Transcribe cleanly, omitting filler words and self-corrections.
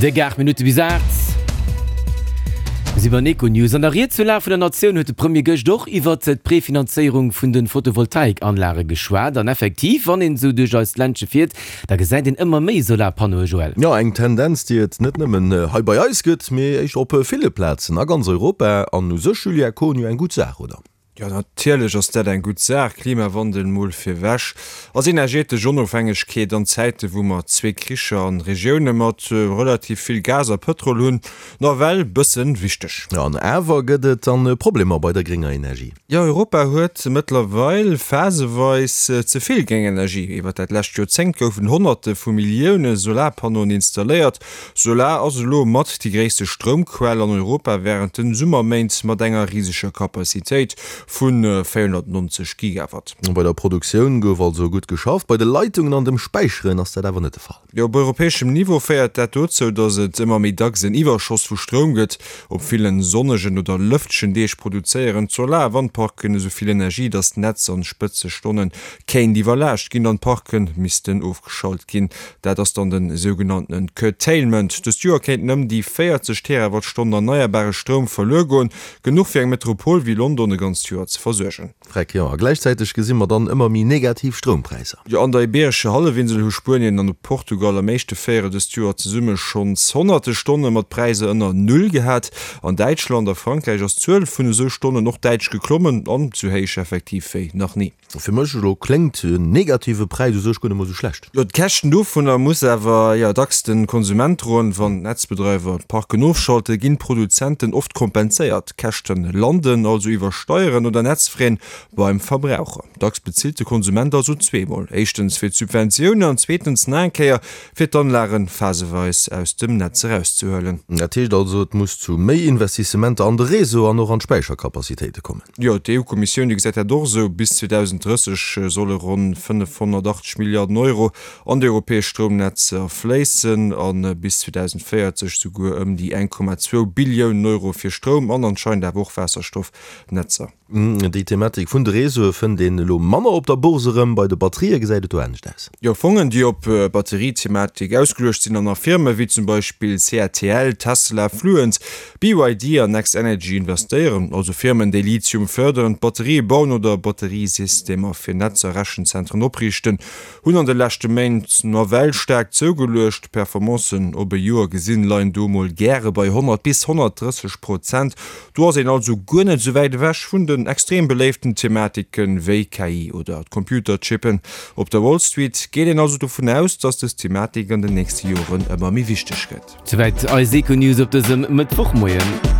Déck 8 Minutte bis 8. Mir si beim Econews. An der Ried zur Lag vun der Natioun huet de Premier gëscht och iwwert d'Prefinanzéierung vun de Photovoltaikanlage geschwat. An effektiv, wann een esou duerch eist Ländche fiert, da gesäit een ëmmer méi Solarpannoe, Joël. Jo, eng Tendenz, déi et net nëmmen hei bei eis gëtt, mee éischter op ville Plazen a ganz Europa. An u sech, Julia Kohn, jo eng gutt Saach, oder? Jo, natierlech ass dat eng gutt Saach. Klimawandel mol virwech, ass energetesch Onofhängegkeet an Zäite wou mer zwee Kricher an Regioune mat relativ vill Gas a Pëtrol hunn, nawell bëssen wichteg. An awer gëtt et dann Problemer bei der grénger Energie. Jo, Europa huet mëttlerweil phaseweis ze vill gréng Energie. Iwwer dat lescht Joerzéngt goufen Honnerte vu Millioune Solarpannoen installéiert. Solar ass elo mat déi gréisste Stroumquell an Europa wärend den Summerméint mat enger riseger Kapazitéit vu 490 Gigawatt. Bei der Produktioun gouf also gutt geschafft, bei de Leitungen an dem Späicheren ass dat awer net de Fall. Jo, op europäeschem Niveau féiert dat dozou, datt et ëmmer méi dacks en Iwwerschoss vu Stroum gëtt. Op villen sonnegen oder lëftegen Deeg produzéieren d'Solar a Wandparken esou vill Energie, datt d'Netz an Spëtzestonnen kéint iwwerlaascht ginn an d'Parken missten ofgeschalt ginn. Dat ass dann den sougenanntenen Curtailment. Dëst Joer kéinten ëm déi 40 Terawattstonnen erneierbare Stroum verluer goen, genuch fir eng Metropol wéi London e ganzt Joer ze versuergen. Freck, jo. A gläichzäiteg gesi mer dann ëmmer méi negativ Stroumpräisser. Jo, an der Ibeerescher Hallefinsel hu Spuenien an Portugal am éischte Véierel dëst Joer zesumme schonns honnerte Stonne mat Präisser ënner Null gehat. An Däitschland a Frankräich ass d'Zuel vun esou Stonnen och däitlech geklommen an sou héich effektiv wéi nach ni. Fir mech elo kléngt en negative Präis u sech guer net mol sou schlecht. Jo, d'Käschten dovunner muss awer jo dacks de Konsument droen. Wann d'Netzbedreiwer d'Parken ofschalte ginn d'Produzenten oft kompenséiert. D'Käschte landen also iwwer Steieren oder Netzfraien beim Verbraucher. Dacks bezilt de Konsument also zweemol, éischtens fir d'Subventiounen an zweetens nach eng Kéier fir d'Anlage phaseweis aus dem Netz erauszehuelen. Dat heescht also, et muss zu méi Investissementer an de Réseau an och an d'Späichercapacitéite kommen. Jo, d'EU-Kommissioun, déi gesäit dat och esou. Bis 2030 solle ronn 580 Milliarden Euro an déi europäesch Stroumnetzer fléissen a bis 2040 souguer ëm déi 1,2 Billiounen Euro fir Stroum an anscheinend awer och Waasserstoffnetzer. Déi Thematik vun de Réseaue fënnt een elo manner op der Bourse erëm. Bei de Batterië gesäit et do anescht aus. Jo, Fongen, déi op Batterie-Thematik ausgeluecht sinn an a Firme wéi zum Beispill CATL, Tesla, Fluence, BYD an NextEnergy investéieren, also Firmen, déi Lithium fërderen, Batterië bauen oder Batteriesystemer fir Netzer, Rechenzentren opriichten, hunn an de leschte Méint nawell staark zougeluecht. D'Performancen op e Joer gesinn leien do mol gäre bei 100 bis 130 Prozent. Do ass een also guer net esou wäit ewech vun den extrem beléiften Thematiken wéi KI oder d'Computerchippen. Op der Wall Street geet een also dovun aus, dass des Thematik an den nächste Joren ëmmer méi wichteg gëtt. Souwäit eis Econews op dësem Mëttwochmoien.